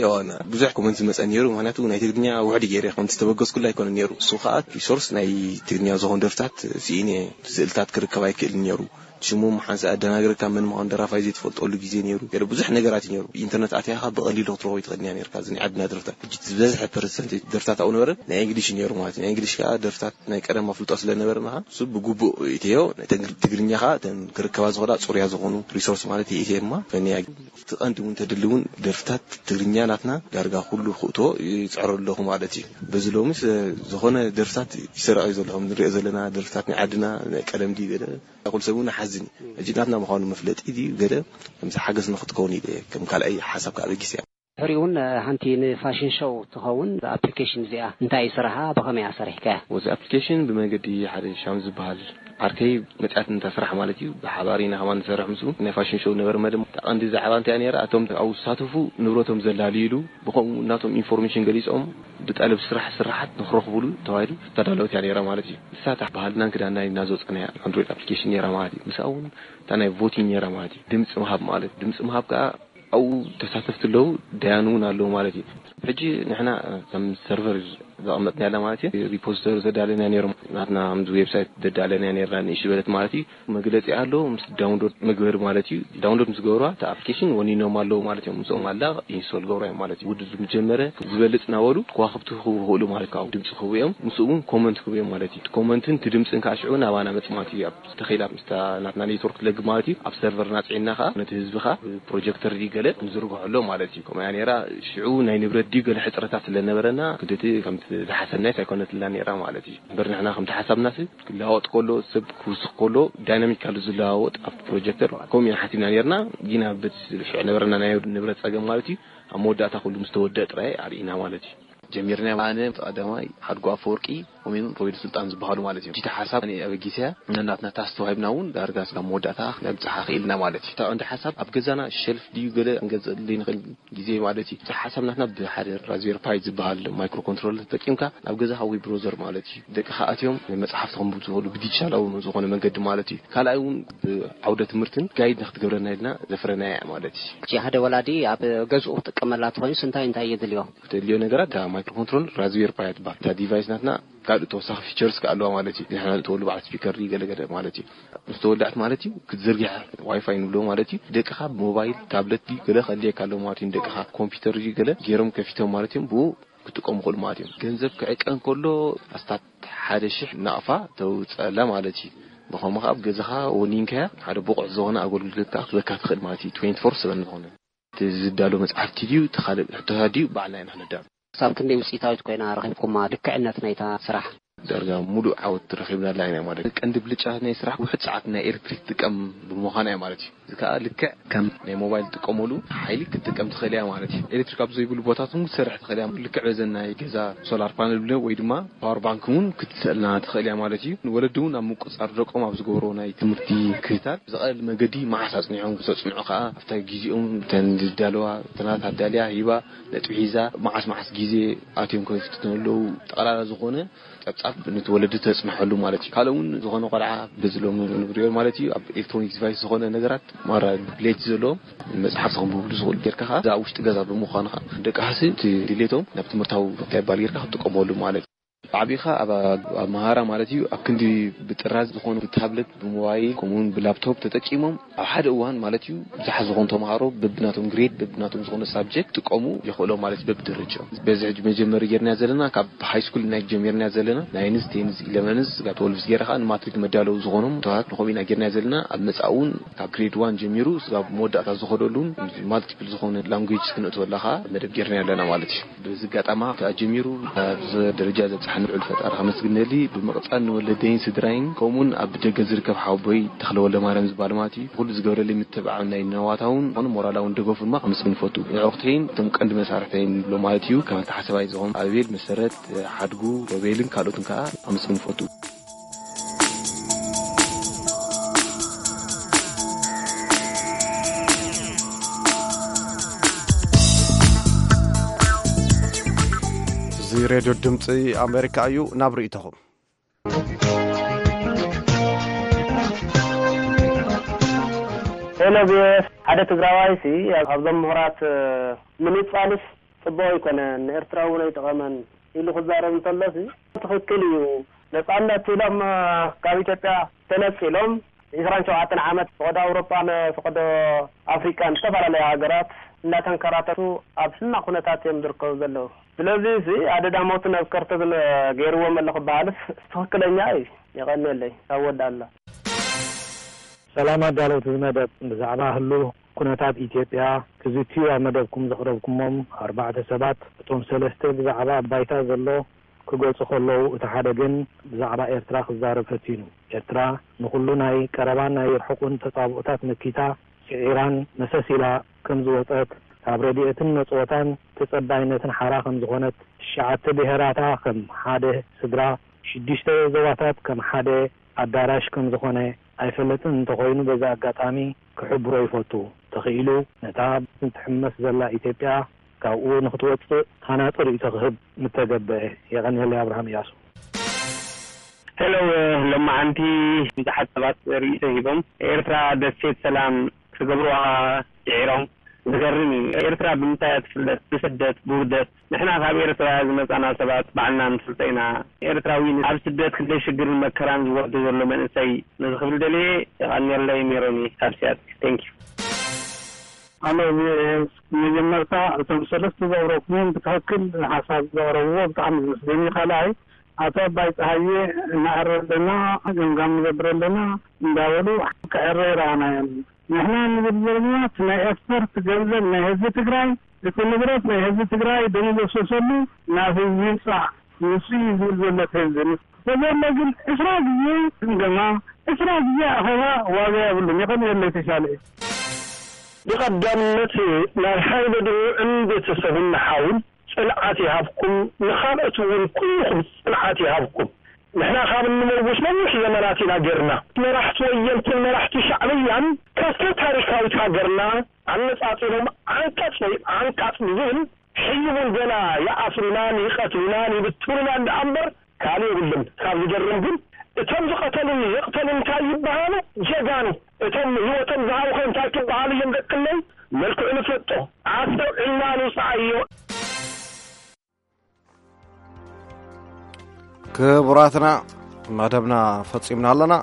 ብዙሕ ኮመንት ዝመፀ ነይሩ። ምክንያቱ ናይ ትግርኛ ውሕድ ገይረ ከም ዝተበገስኩሉ ኣይኮነ ነይሩ። እሱ ከዓ ሪሶርስ ናይ ትግርኛ ዝኾኑ ደርፍታት ስኢነ ስእልታት ክርከብ ኣይክእልን ነይሩ። ሽሞም ሓንሳእ ኣደናግረካ መን ምዃኑ ደራፋይ ዘይትፈልጠሉ ግዜ ነይሩ። ገለ ብዙሕ ነገራት እዩ ነይሩ። ብኢንተርነት ኣትያኻ ብቐሊሉ ክትረኽቦ ይትኽእል እያ ነይርካ። እዚ ናይ ዓድና ደርፍታት ሕጂ ዝበዝሐ ፐርሰንት ደርፍታት ኣብኡ ነበረ ናይ እንግሊሽ እዩ ነይሩ ማለት እዩ። ናይ እንግሊሽ ከዓ ደርፍታት ናይ ቀደም ኣፍልጦ ስለ ነበረና እሱ ብግቡእ እትዮ ትግርኛ ከዓ እተን ክርከባ ዝኽእላ ፅሩያ ዝኾኑ ሪሶርስ ማለት እዩ። እትየማ ፈንያ እቲ ቀንዲ እውን ተድሊ እውን ደርፍታት ትግርኛ ናትና ዳርጋ ኩሉ ክእቶ ይፅዕሩ ኣለኹ ማለት እዩ። በዚ ሎሚ ዝኾነ ደርፍታት ይሰረቕ እዩ ዘለኹም ንሪኦ ዘለና ደርፍታት ናይ ዓድና ናይ ቀደም ድዩ ገለ ኩሉ ሰብ እውን ሓዝን እዩ። ሕጂ ናትና ምዃኑ መፍለጢ ድዩ ገለ ከምዚ ሓገዝ ንክትከውን ኢለ ከም ካልኣይ ሓሳብ ከዓ በጊስ እያ። ድሕሪኡ እውን ሓንቲ ንፋሽን ሾው ትኸውን ኣፕሊኬሽን እዚኣ እንታይ እዩ ስራሓ ብኸመይ ኣሰሪሕካያ? ወዚ ኣፕሊኬሽን ብመንገዲ ሓደ ሻም ዝበሃል ዓርከይ መፅያት እንተ ስራሕ ማለት እዩ። ብሓባር ኢና ከማን ንሰርሕ ምስኡ ናይ ፋሽን ሾው ነበረ መደብ እታ ቀንዲ ዛዕባ እንታይ ነይራ እቶም ኣብኡ ዝሳተፉ ንብረቶም ዘላልይሉ ብኸምኡ እናቶም ኢንፎርሜሽን ገሊፆም ብጠለብ ስራሕ ስራሓት ንክረኽቡሉ ተባሂሉ ዝተዳለወት እያ ነይራ ማለት እዩ። ንሳ እታ ባህልናን ክዳንና ኢልና ዘውፀናያ ኣንድሮይድ ኣፕሊኬሽን ነይራ ማለት እዩ። ንሳ እውን እታ ናይ ቮቲንግ ነይራ ማለት እዩ። ድምፂ ምሃብ ማለት ድምፂ ምሃብ ከዓ ኣብኡ ተሳተፍቲ ኣለዉ ደያኑ እውን ኣለዉ ማለት እዩ። ሕጂ ንሕና ከም ሰርቨር ዘቐመጥና ያላ ማለት እዩ። ሪፖዚተሪ ዘዳለና ነይሮም ናትና ከምዚ ዌብሳይት ዘዳለና ነርና ንእሽ በለት ማለት እዩ። መግለፂ ኣሎ ምስ ዳውንሎድ መግበሪ ማለት እዩ። ዳውንሎድ ምስ ገብርዋ እቲ ኣፕሊኬሽን ወኒኖም ኣለዉ ማለት እዮም። ምስኦም ኣላ ኢንስቶል ገብራ እዮም ማለት እዩ። ውድድር ምስ ጀመረ ዝበልፅ ናበሉ ከዋክብቲ ክህቡ ይኽእሉ ማለት ካብኡ ድምፂ ክህቡ እዮም። ምስኡ እውን ኮመንት ክህቡ እዮም ማለት እዩ። እቲ ኮመንትን እቲ ድምፅን ከዓ ሽዑ ናባና መፅ ማለት እዩ። ኣብ ተኸኢላ ምስታ ናትና ኔትወርክ ትለግብ ማለት እዩ። ኣብ ሰርቨርና ፅዒንና ከዓ ነቲ ህዝቢ ከዓ ፕሮጀክተር ድዩ ገለ ንዝርግሖ ኣሎ ማለት እዩ። ከምኡ እያ ነይራ። ሽዑ ናይ ንብረት ድዩ ገለ ሕፅረታት ስለ ነበረና ክደቲ ከምቲ ዝሓሰብናይስ ኣይኮነትልና ነይራ ማለት እዩ። እምበር ንሕና ከምቲ ሓሳብናስ ክለዋወጥ ከሎ ሰብ ክውስኽ ከሎ ዳይናሚካሊ ዝለዋወጥ ኣብቲ ፕሮጀክተር ከምኡ ኢና ሓሲብና ነርና። ጊና በቲ ሽዑ ነበረና ናይ ንብረት ፀገም ማለት እዩ ኣብ መወዳእታ ኩሉ ምስ ተወደአ ጥራይ ኣርኢና ማለት እዩ። ጀሚርና ኣነ ቀዳማይ ሓድጎ ኣፈወርቂ ከምኡውን ሮቤል ስልጣን ዝበሃሉ ማለት እዮም። እቲ ሓሳብ ኣነ ኣበጊሰያ ነናትና ታስ ተዋሂብና እውን ዳርጋ ስጋብ መወዳእታ ነብፅሓ ክኢልና ማለት እዩ። እታ ቀንዲ ሓሳብ ኣብ ገዛና ሸልፍ ድዩ ገለ ክንገዝእ ዘይንኽእል ግዜ ማለት እዩ። እቲ ሓሳብ ናትና ብሓደ ራዝቤሪ ፓይ ዝበሃል ማይክሮ ኮንትሮለር ተጠቂምካ ናብ ገዛኻ ወይ ብሮዘር ማለት እዩ ደቅኻ ኣትዮም መፅሓፍቲ ከንብቡ ዝኽእሉ ብዲጂታላዊ ዝኾነ መንገዲ ማለት እዩ። ካልኣይ እውን ብዓውደ ትምህርትን ጋይድ ንክትገብረና ኢልና ዘፍረናያ ማለት እዩ። ሕጂ ሓደ ወላዲ ኣብ ገዝኡ ክጥቀመላ ተኾይኑስ እንታይ እንታይ የድልዮ? ክተድልዮ ነገራት እታ ማይክሮ ኮንትሮል ራዝቤሪ ፓይ ትበሃል። እታ ዲቫይስ ናትና ካልእ ተወሳኺ ፊቸርስ ከ ኣለዋ ማለት እዩ። ንሕና ንእትወሉ በዓል ስፒከር ድዩ ገለገለ ማለት እዩ። ምስ ተወዳእት ማለት እዩ ክትዝርግሐ ዋይፋይ ንብሎ ማለት እዩ። ደቅኻ ብሞባይል ታብለት ድዩ ገለ ከድልየካ ኣለዎ ማለት እዩ። ንደቅኻ ኮምፒውተር ድዩ ገለ ገይሮም ከፊቶም ማለት እዮም ብኡ ክጥቀሙ ይኽእሉ ማለት እዮም። ገንዘብ ክዕቀን ከሎ ኣስታት ሓደ ሽሕ ናቕፋ ተውፀላ ማለት እዩ። ብኸምኡ ከዓ ኣብ ገዛኻ ወኒንካያ ሓደ ብቑዕ ዝኾነ ኣገልግሎት ከዓ ክትበካ ትኽእል ማለት እዩ። ትዌንቲ ፎር ሰቨን ዝኾነ እቲ ዝዳሎ መፅሓፍቲ ድዩ እቲ ካልእ ሕቶታት ድዩ ባዕልና ኢና ክነዳሉ። ክሳብ ክንደይ ውፅኢታዊት ኮይና ረኺብኩማ ልክዕነት ናይታ ስራሕ? ዳርጋ ሙሉእ ዓወት ረኺብናላ ኢና ማለት እዩ። ቀንዲ ብልጫ ናይ ስራሕ ውሕድ ሰዓት ናይ ኤሌክትሪክ ትጥቀም ብምዃና እያ ማለት እዩ። እዚ ከዓ ልክዕ ከም ናይ ሞባይል ትጥቀመሉ ሓይሊ ክትጥቀም ትኽእል እያ ማለት እዩ። ኤሌክትሪክ ኣብ ዘይብሉ ቦታት እውን ክትሰርሕ ትኽእል እያ። ልክዕ በዘን ናይ ገዛ ሶላር ፓነል ብለ ወይ ድማ ፓወር ባንክ እውን ክትስእልና ትኽእል እያ ማለት እዩ። ንወለዲ እውን ኣብ ምቁፅፃር ደቆም ኣብ ዝገብሮ ናይ ትምህርቲ ክታል ብቐለል መገዲ መዓስ ኣፅኒዖም ክተፅንዑ ከዓ ኣብታ ግዜኦም እተን ዝዳለዋ ፈተናታት ኣዳልያ ሂባ ነጥቢ ሒዛ መዓስ መዓስ ግዜ ኣትዮም ከፍትኑ ኣለዉ ጠቕላላ ዝኾነ ጸብጻብ ነቲ ወለዲ ተጽንሐሉ ማለት እዩ። ካልእ እውን ዝኾነ ቆልዓ በዚ ሎሚ ንሪኦ ማለት እዩ ኣብ ኤሌክትሮኒክ ዲቫይስ ዝኾነ ነገራት ማራ ሌት ዘለዎም መጽሓፍ ዘንብብሉ ዝኽእሉ ጌርካ ከዓ እዛ ኣብ ውሽጢ ገዛ ብምዃንኻ ደቂ ሃሲ እቲ ድሌቶም ናብ ትምህርታዊ እንታይ ይባል ጌርካ ክትጥቀመሉ ማለት እዩ። ዓቢኻ ኣብ ኣብ መሃራ ማለት እዩ ኣብ ክንዲ ብጥራዝ ዝኾኑ ብታብለት ብሞባይል ከምኡውን ብላፕቶፕ ተጠቂሞም ኣብ ሓደ እዋን ማለት እዩ ብዙሓት ዝኾኑ ተምሃሮ በብናቶም ግሬድ በብናቶም ዝኾነ ሳብጀክት ጥቀሙ ይኽእሎም ማለት እዩ በብደረጃኦም። በዚ ሕጂ መጀመሪ ጌርና ዘለና ካብ ሃይ ስኩል ናይ ጀሚርና ዘለና ናይንስ ቴንስ ኢለቨንስ ስጋብ ትወልቭስ ጌርካ ንማትሪክ መዳለዊ ዝኾኖም ተዋት ንኸምኡ ኢና ጌርና ዘለና። ኣብ መጻእ እውን ካብ ግሬድ ዋን ጀሚሩ ስጋብ መወዳእታ ዝኸደሉን ማልቲፕል ዝኾነ ላንጉጅ ክንእትወላ ከዓ መደብ ጌርና ኣለና ማለት እዩ። በዚ ኣጋጣማ ከዓ ጀሚሩ ኣብዚ ደረጃ ዘብፅሓኒ ልዑል ፈጣሪ ከመስግነሊ ብምቕፃል ንወለደይን ስድራይን ከምኡውን ኣብ ደገ ዝርከብ ሓወቦይ ተኽለ ወልደ ማርያም ዝበሃል ማለት እዩ ኩሉ ዝገብረለይ ምትብዓል ናይ ነዋታውን ዝኾነ ሞራላውን ደገፉ ድማ ከመስግን ይፈቱ። ንዕቑተይን እቶም ቀንዲ መሳርሕተይን ንብሎ ማለት እዩ ከም ኣተሓሰባይ ዝኾኑ ኣቤል መሰረት ሓድጉ ሮቤልን ካልኦትን ከዓ ከመስግን ይፈቱ። እዚ ሬድዮ ድምፂ ኣሜሪካ እዩ። ናብ ርእይቶኹም። ሄሎ ቢኤስ ሓደ ትግራዋይ ሲ ካብዞም ምሁራት ምንፃሉስ ፅቡቅ ኣይኮነን ንኤርትራ እውን ኣይጠቐመን ኢሉ ክዛረብ እንተሎሲ ትኽክል እዩ። ነፃነት ኢሎም ካብ ኢትዮጵያ ተነፂሎም ዒስራን ሸውዓተን ዓመት ፈቐዶ ኣውሮጳን ፈቐዶ ኣፍሪቃን ዝተፈላለያ ሃገራት እንዳተንከራተቱ ኣብ ሕማቕ ኩነታት እዮም ዝርከቡ ዘለዉ። ስለዚ እዚ ኣደዳ ሞት ናብ ከርተት ገይርዎም ኣሎ ክበሃልስ ትኽክለኛ እዩ። የቐንየለይ ካብ ወዳላ። ሰላም ኣዳለውቲ እዚ መደብ፣ ብዛዕባ ህሉ ኩነታት ኢትዮጵያ ክዝትዩ ኣብ መደብኩም ዘቕረብኩሞም ኣርባዕተ ሰባት፣ እቶም ሰለስተ ብዛዕባ ኣብ ባይታ ዘሎ ክገልጹ ከለዉ፣ እቲ ሓደ ግን ብዛዕባ ኤርትራ ክዛረብ ፈቲኑ። ኤርትራ ንኹሉ ናይ ቀረባን ናይ ርሑቕን ተጻብኦታት መኪታ፣ ስዒራን መሰስ ኢላ ከም ዝወጸት፣ ካብ ረድኤትን መጽወታን ተጸባይነትን ሓራ ከም ዝኾነት፣ ትሽዓተ ብሄራታ ከም ሓደ ስድራ፣ ሽዱሽተ ዞባታት ከም ሓደ ኣዳራሽ ከም ዝኾነ ኣይፈልጥን እንተኾይኑ፣ በዚ ኣጋጣሚ ክሕብሮ ይፈቱ። ተኽኢሉ፣ ነታ ትሕመስ ዘላ ኢትዮጵያ ካብኡ ንኽትወጽእ ሃናጺ ርእይቶ ክህብ ምተገበአ። የቐንየለይ። ኣብርሃም እያሱ። ሄሎ፣ ሎማዓንቲ ብዙሓት ሰባት ርእይቶ ሂቦም፣ ኤርትራ ደሴት ሰላም ክገብሩዋ ጽዒሮም። ዝገርም እዩ። ኤርትራ ብምንታይ እያ ትፍለጥ? ብስደት፣ ብውርደት። ንሕና ካብ ኤርትራ ዝመጻና ሰባት ባዕልና ንፈልጦ ኢና። ኤርትራዊ ኣብ ስደት ክንደይ ሽግርን መከራን ዝወርዶ ዘሎ መንእሰይ ነዚ ክብል ደልየ። የቐንየለይ። ሜሮኒ ካብ ሲያትል። Thank you። ኣሎ። መጀመርታ እቶም ሰለስተ ዘቕረብኩምዎም ብትኽክል ሓሳብ ዘቕረብዎ ብጣዕሚ ዝመስለኒ። ካልኣይ ኣቶ ኣባይ ፀሃየ እናዕረ ኣለና፣ ገምጋም ንገብር ኣለና እንዳበሉ ክዕረ ይረኣናዮም። ንሕና ንብል ዘለና እቲ ናይ ኤክስፖርት ገንዘብ ናይ ህዝቢ ትግራይ፣ እቲ ንብረት ናይ ህዝቢ ትግራይ ደም ዘፍሰሰሉ ናብ ህዝቢ ይምፃእ፣ ንሱ እዩ ዝብል ዘሎ እቲ ህዝቢ። ተዘሎ ግን ዕስራ ግዜ ግምገማ፣ ዕስራ ግዜ ኣኸባ ዋጋ የብሉን። የቐንየለይ። ተሻለ እዩ። ብቐዳምነት ናይ ሓይለ ድሩዕን ቤተሰቡን ንሓውን ጽንዓት ይሃብኩም፣ ንኻልኦት እውን ኩልኹም ጽንዓት ይሃብኩም። ንሕና ካብ እንመውት ነዊሕ ዘመናት ኢና ጌርና። መራሕቲ ወየንትን መራሕቲ ሻዕብያን ካብታ ታሪካዊት ሃገርና ኣነጻጺሮም ዓንቀጽ ወይ ዓንቃጽ ብዝብል ሕይውን ገና ይኣስሩናን ይቐትሉናን ይብትኑናን ደኣ እምበር ካልእ የብሉን። ካብ ዝገርም ግን እቶም ዝቐተሉን ዘቕተሉን እንታይ ይበሃሉ? ጀጋኑ። እቶም ህይወቶም ዝሃቡኸ እንታይ ክበሃሉ እዮም ደቅነይ? መልክዑ ንፈልጦ። ኣስተውዒልና ንውፅዓዮ። ክቡራትና መደብና ፈጺምና ኣለና።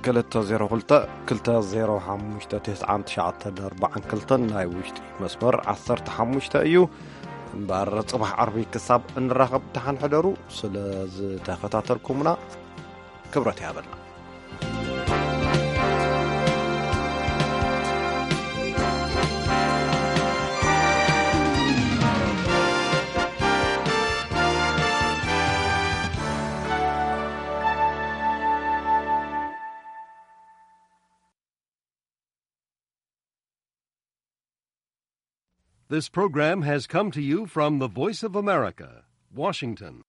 ክልተ ዜሮ ክልተ ክልተ ዜሮ ሓሙሽተ ትስዓን ትሽዓተን ኣርባዓን ክልተን ናይ ውሽጢ መስመር ዓሰርተ ሓሙሽተ እዩ። እምበር ጽባሕ ዓርቢ ክሳብ እንራኸብ ደሓን ሕደሩ። ስለ ዝተኸታተልኩምና ክብረት ይሃበልና። This program has come to you from the Voice of America, Washington.